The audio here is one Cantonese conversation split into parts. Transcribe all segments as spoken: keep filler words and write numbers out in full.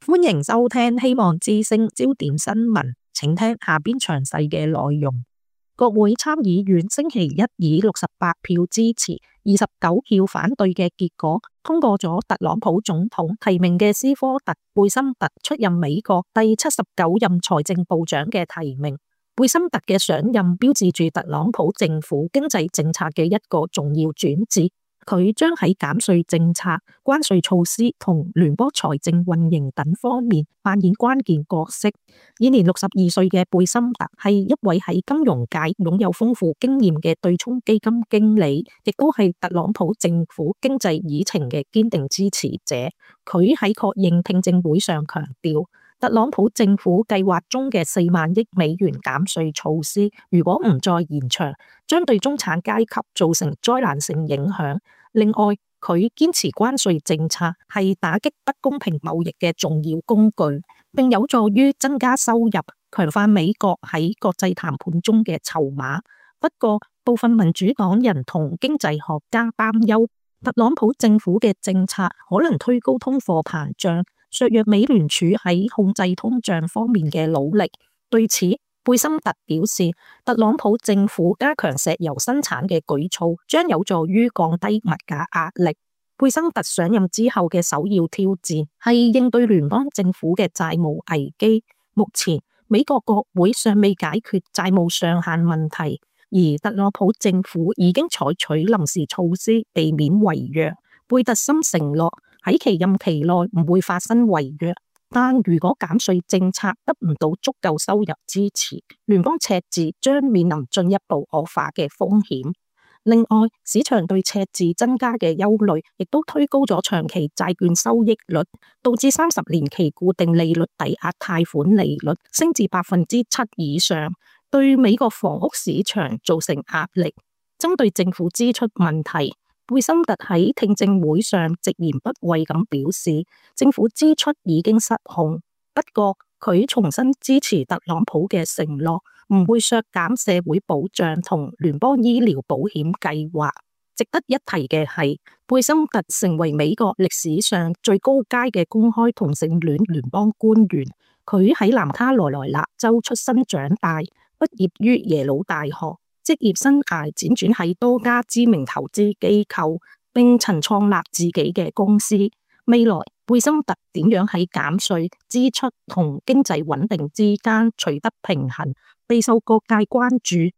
歡迎收聽希望之聲焦點新聞，請聽下邊詳細嘅內容。國會參議院星期一以六十八票支持、二十九票反對嘅結果，通過咗特朗普總統提名嘅斯科特·貝森特出任美國第七十九任財政部長嘅提名。貝森特嘅上任標誌住特朗普政府經濟政策嘅一個重要轉折。佢將喺減稅政策、關稅措施同聯邦財政運營等方面扮演關鍵角色。現年六十二歲嘅貝森特係一位喺金融界擁有豐富經驗嘅對沖基金經理，亦都係特朗普政府經濟議程嘅堅定支持者。佢喺確認聽證會上強調，特朗普政府計劃中嘅四萬億美元減稅措施，如果唔再延長，將對中產階級造成災難性影響。另外，佢堅持關稅政策係打擊不公平貿易嘅重要工具，並有助於增加收入，強化美國喺國際談判中嘅籌碼。不過，部分民主黨人同經濟學家擔憂，特朗普政府嘅政策可能推高通貨膨脹，削弱美聯儲喺控制通脹方面嘅努力。對此，貝森特表示，特朗普政府加強石油生產嘅舉措將有助於降低物價壓力。貝森特上任之後嘅首要挑戰係應對聯邦政府嘅債務危機。目前，美國國會尚未解決債務上限問題，而特朗普政府已經採取臨時措施避免違約。貝特森承諾喺其任期內唔會發生違約。但如果減稅政策得唔到足夠收入支持，聯邦赤字將面臨進一步惡化嘅風險。另外，市場對赤字增加嘅憂慮，亦都推高咗長期債券收益率，導致三十年期固定利率抵押貸款利率升至百分之七以上，對美國房屋市場造成壓力。針對政府支出問題，貝森特喺聽證會上直言不諱咁表示，政府支出已經失控。不過，佢重新支持特朗普嘅承諾，唔會削減社會保障同聯邦醫療保險計劃。值得一提嘅係，貝森特成為美國歷史上最高階嘅公開同性戀聯邦官員。佢喺南卡羅來納州出生長大，畢業於耶魯大學。職業生涯輾轉喺多家知名投資機構，並曾創立自己嘅公司。未來，貝森特點樣喺減稅、支出同經濟穩定之間取得平衡，備受各界關注。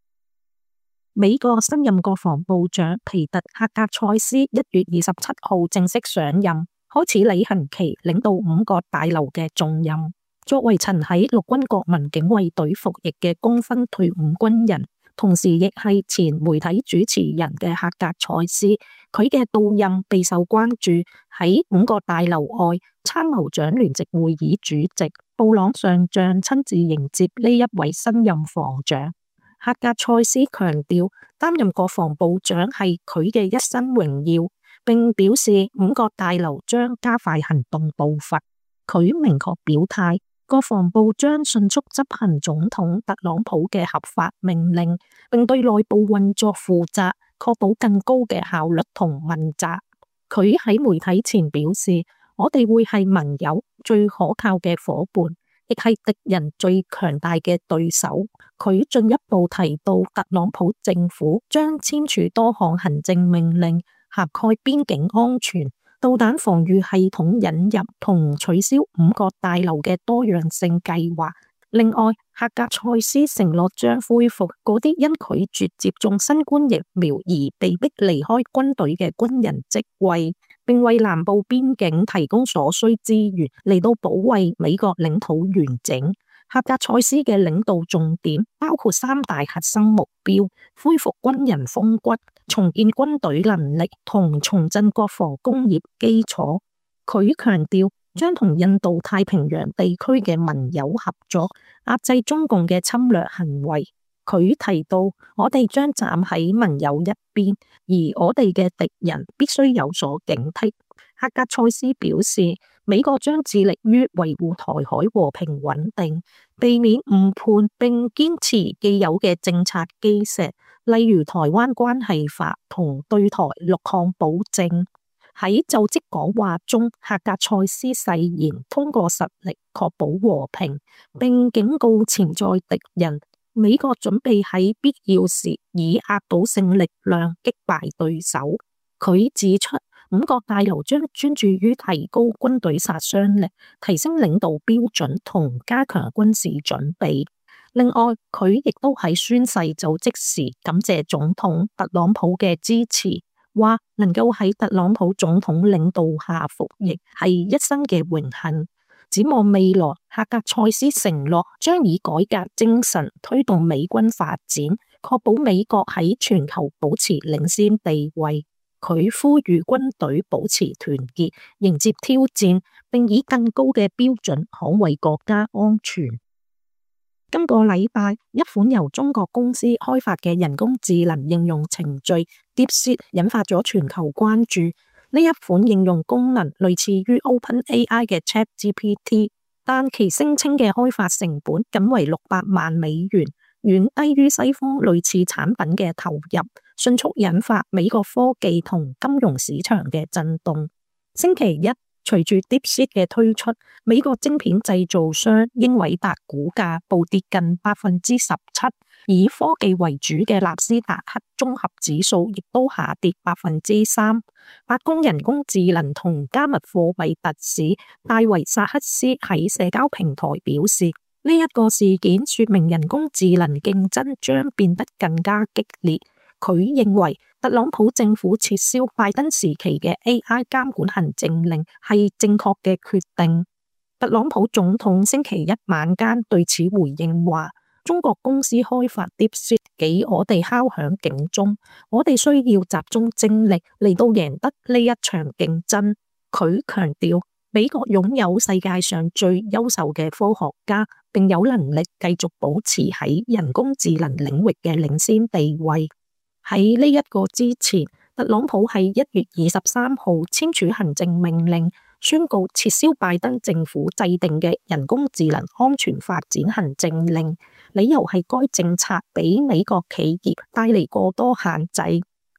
美國新任國防部長皮特·赫格塞斯一月二十七號正式上任，開始履行其領導五角大樓嘅重任。作為曾喺陸軍國民警衛隊服役嘅功勳退伍軍人，同時亦係前媒體主持人嘅赫格塞斯，佢嘅到任備受關注。喺五角大樓外，參謀長聯席會議主席布朗上將親自迎接呢一位新任防長。赫格塞斯強調，擔任國防部長係佢嘅一生榮耀，並表示五角大樓將加快行動步伐。佢明確表態，國防部將迅速執行總統特朗普嘅合法命令，並對內部運作負責，確保更高嘅效率同問責。佢喺媒體前表示，我哋會係盟友最可靠嘅夥伴，亦係敵人最強大嘅對手。佢進一步提到，特朗普政府將簽署多項行政命令，涵蓋邊境安全、導彈防禦系統引入同取消五角大樓嘅多樣性計劃。另外，赫格塞斯承諾將恢復嗰啲因拒絕接種新冠疫苗而被迫離開軍隊嘅軍人職位，並為南部邊境提供所需資源嚟到保衛美國領土完整。赫格塞斯嘅領導重點包括三大核心目標：恢復軍人風骨、重建軍隊能力同重振國防工業基礎。佢強調將同印度太平洋地區嘅盟友合作，壓制中共嘅侵略行為。佢提到，我哋將站喺盟友一邊，而我哋嘅敵人必須有所警惕。赫格塞斯表示，美國將致力於維護台海和平穩定，避免誤判，並堅持既有嘅政策基石，例如台灣關係法同對台六項保證。喺就職講話中，赫格塞斯誓言通過實力確保和平，並警告潛在敵人，美國準備喺必要時以壓倒性力量擊敗對手。佢指出，五角大樓將專注於提高軍隊殺傷力、提升領導標準同加強軍事準備。另外，佢亦都喺宣誓就職時感謝總統特朗普嘅支持，話能夠喺特朗普總統領導下服役係一生嘅榮幸。展望未來，赫格塞斯承諾將以改革精神推動美軍發展，確保美國喺全球保持領先地位。佢呼籲軍隊保持團結，迎接挑戰，並以更高嘅標準捍衛國家安全。今個禮拜，一款由中國公司開發嘅人工智能應用程序 DeepSeek 引發咗全球關注。呢一款應用功能類似於 OpenAI 嘅 ChatGPT， 但其聲稱嘅開發成本僅為六百萬美元，遠低於西方類似產品嘅投入，迅速引發美國科技同金融市場嘅震動。星期一，隨住 DeepSeek 嘅推出，美國晶片製造商英偉達股價暴跌近百分之十七，以科技為主嘅納斯達克綜合指數亦都下跌百分之三。白宮人工智能同加密貨幣特使戴維薩克斯喺社交平台表示，呢一個事件說明人工智能競爭將變得更加激烈。佢認為特朗普政府撤銷拜登時期嘅 A I 監管行政令係正確嘅決定。特朗普總統星期一晚間對此回應話，中國公司開發 DeepSeek 給我哋敲響警鐘，我哋需要集中精力嚟到贏得呢一場競爭。佢強調，美國擁有世界上最優秀嘅科學家，並有能力繼續保持喺人工智能領域嘅領先地位。喺呢一個之前，特朗普喺一月二十三號簽署行政命令，宣告撤銷拜登政府制定嘅人工智能安全發展行政令，理由係該政策俾美國企業帶嚟過多限制。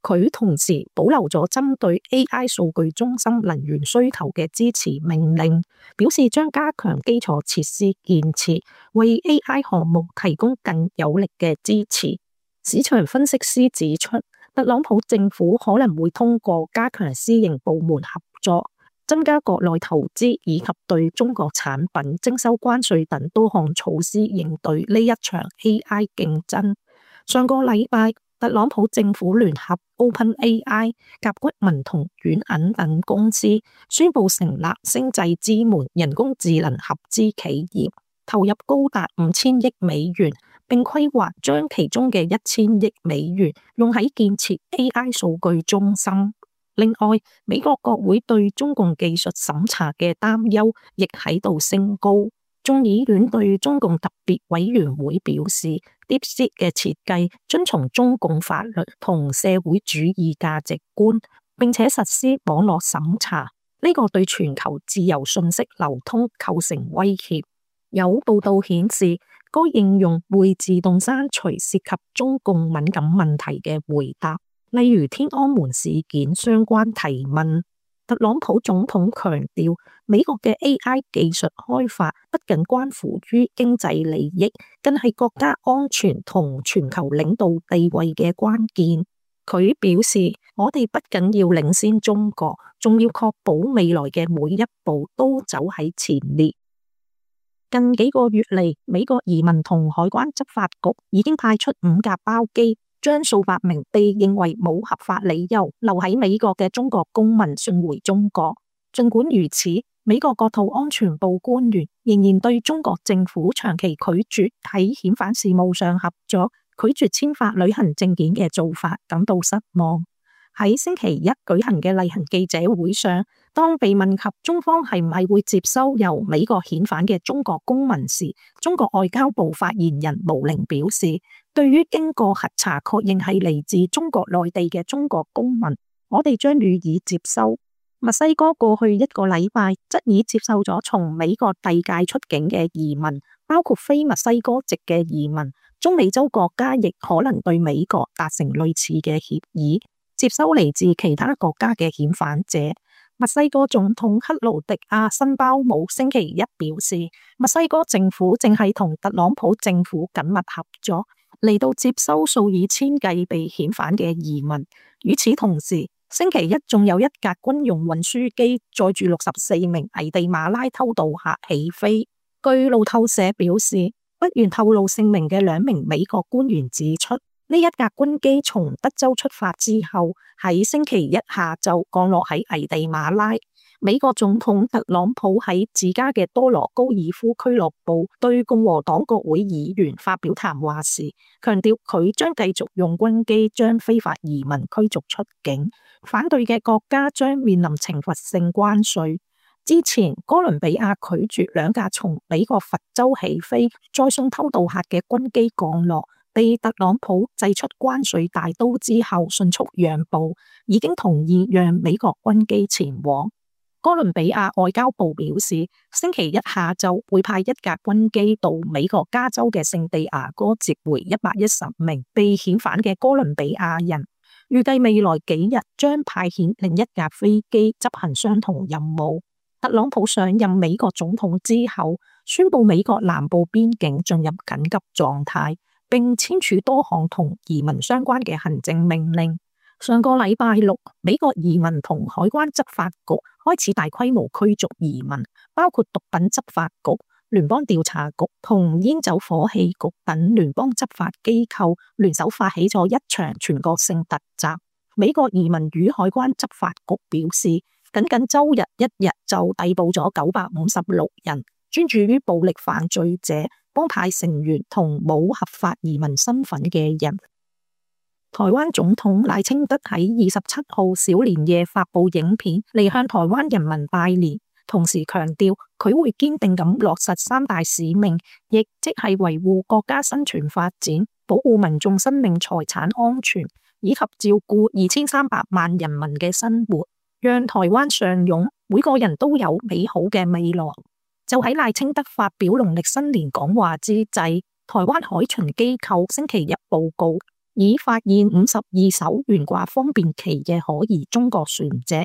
佢同時保留咗針對 A I 數據中心能源需求嘅支持命令，表示將加強基礎設施建設，為 A I 項目提供更有力嘅支持。市場分析師指出，特朗普政府可能會通過加強私營部門合作、增加國內投資以及對中國產品徵收關稅等多項措施應對呢一場 A I 競爭。上個禮拜，特朗普政府聯合 OpenAI、甲骨文同軟銀等公司宣布成立星際之門人工智能合資企業，投入高達五千億美元，並規劃將其中嘅一千億美元用喺建設 A I 數據中心。另外，美國國會對中共技術審查嘅擔憂亦喺度升高。眾議院對中共特別委員會表示，DeepSeek 嘅設計遵從中共法律同社會主義價值觀，並且實施網絡審查，呢個對全球自由信息流通構成威脅。有報道顯示，該應用會自動刪除涉及中共敏感問題嘅回答，例如天安門事件相關提問。特朗普總統強調，美國嘅 A I 技術開發不僅關乎於經濟利益，更係國家安全同全球領導地位嘅關鍵。佢表示，我哋不僅要領先中國，仲要確保未來嘅每一步都走喺前列。近幾個月嚟，美國移民同海關執法局已經派出五架包機，將數百名被認為冇合法理由留喺美國嘅中國公民送回中國。儘管如此，美國國土安全部官員仍然對中國政府長期拒絕喺遣返事務上合作、拒絕簽發旅行證件嘅做法感到失望。喺星期一舉行嘅例行記者會上，當被問及中方係唔係會接收由美國遣返嘅中國公民時，中國外交部發言人毛寧表示，對於經過核查確認係嚟自中國內地嘅中國公民，我哋將予以接收。墨西哥過去一個禮拜則已接受咗從美國遞解出境嘅移民，包括非墨西哥籍嘅移民。中美洲國家亦可能對美國達成類似嘅協議，接收嚟自其他國家嘅遣返者。墨西哥總統克勞迪亞辛包姆星期一表示，墨西哥政府正係同特朗普政府緊密合作，嚟到接收數以千計被遣返嘅移民。與此同時，星期一仲有一架軍用運輸機載住六十四名危地馬拉偷渡客起飛。據路透社表示，不願透露姓名嘅兩名美國官員指出，呢一架軍機從德州出發之後，喺星期一下晝降落喺危地馬拉。美國總統特朗普喺自家嘅多羅高爾夫俱樂部對共和黨國會議員發表談話時，強調佢將繼續用軍機將非法移民驅逐出境，反對嘅國家將面臨懲罰性關稅。之前哥倫比亞拒絕兩架從美國佛州起飛再送偷渡客嘅軍機降落，被特朗普祭出關稅大刀之後迅速讓步，已經同意讓美國軍機前往。哥倫比亞外交部表示，星期一下晝會派一架軍機到美國加州嘅聖地牙哥接回一百一十名被遣返嘅哥倫比亞人，預計未來幾日將派遣另一架飛機執行相同任務。特朗普上任美國總統之後，宣布美國南部邊境進入緊急狀態，並簽署多項同移民相關嘅行政命令。上個禮拜六，美國移民同海關執法局開始大規模驅逐移民，包括毒品執法局、聯邦調查局同煙酒火器局等聯邦執法機構聯手發起咗一場全國性突襲。美國移民與海關執法局表示，僅僅周日一日就逮捕咗九百五十六人，專注於暴力犯罪者、幫派成員同冇合法移民身份嘅人。台灣總統賴清德喺二十七號小年夜發布影片嚟向台灣人民拜年，同時強調佢會堅定咁落實三大使命，亦即係維護國家生存發展、保護民眾生命財產安全，以及照顧二千三百萬人民嘅生活，讓台灣上湧，每個人都有美好嘅未來。就喺賴清德發表農曆新年講話之際，台灣海巡機構星期一報告，已發現五十二艘懸掛方便旗嘅可疑中國船隻，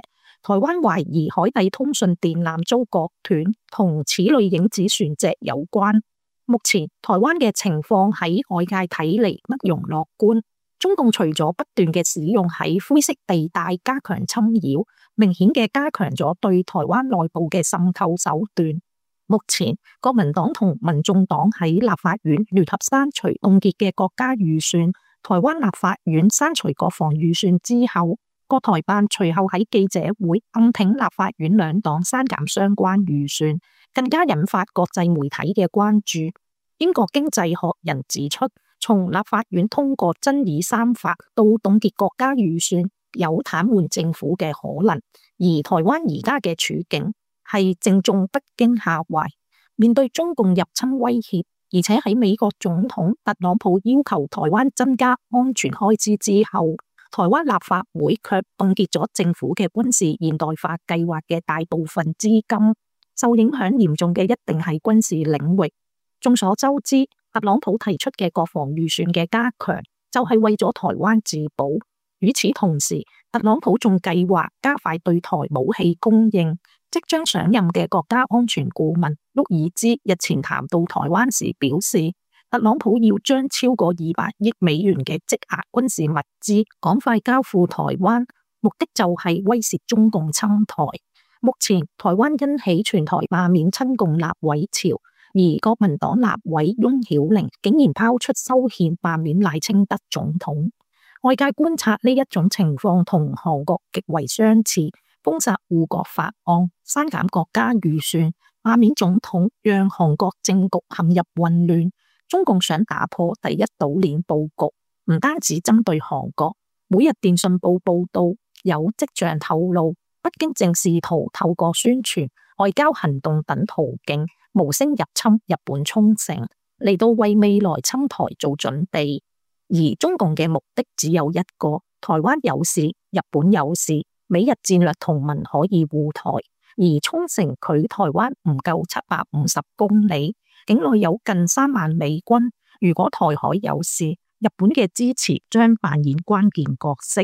台灣懷疑海底通訊電纜遭割斷，同此類影子船隻有關。目前台灣嘅情況喺外界睇嚟不容樂觀，中共除咗不斷嘅使用喺灰色地帶加強侵擾，明顯嘅加強咗對台灣內部嘅滲透手段。目前國民黨同民眾黨喺立法院聯合刪除凍結嘅國家預算，台灣立法院刪除國防預算之後，國台辦隨後喺記者會暗挺立法院兩黨刪減相關預算，更加引發國際媒體嘅關注。英國經濟學人指出，從立法院通過爭議三法到凍結國家預算，有癱瘓政府嘅可能。而台灣而家嘅處境係正中北京下懷，面對中共入侵威脅，而且喺美國總統特朗普要求台灣增加安全開支之後，台灣立法會卻凍結咗政府嘅軍事現代化計劃嘅大部分資金，受影響嚴重嘅一定係軍事領域。眾所周知，特朗普提出嘅國防預算嘅加強，就係為咗台灣自保。與此同時，特朗普仲計劃加快對台武器供應。即將上任嘅國家安全顧問沃爾茲日前談到台灣時表示，特朗普要將超過二百億美元嘅積壓軍事物資趕快交付台灣，目的就係威懾中共侵台。目前台灣因起全台罷免親共立委潮，而國民黨立委翁曉玲竟然拋出修憲罷免賴清德總統。外界觀察呢一種情況同韓國極為相似，封殺護國法案、刪減國家預算、罷免總統，讓韓國政局陷入混亂。中共想打破第一島鏈佈局，唔單止針對韓國。每日電訊報報道，有跡象透露，北京正試圖透過宣傳、外交行動等途徑，無聲入侵日本沖繩，嚟到為未來侵台做準備。而中共嘅目的只有一個：台灣有事，日本有事。美日戰略同盟可以護台，而沖繩距台灣唔夠七百五十公里，境內有近三萬美軍。如果台海有事，日本嘅支持將扮演關鍵角色。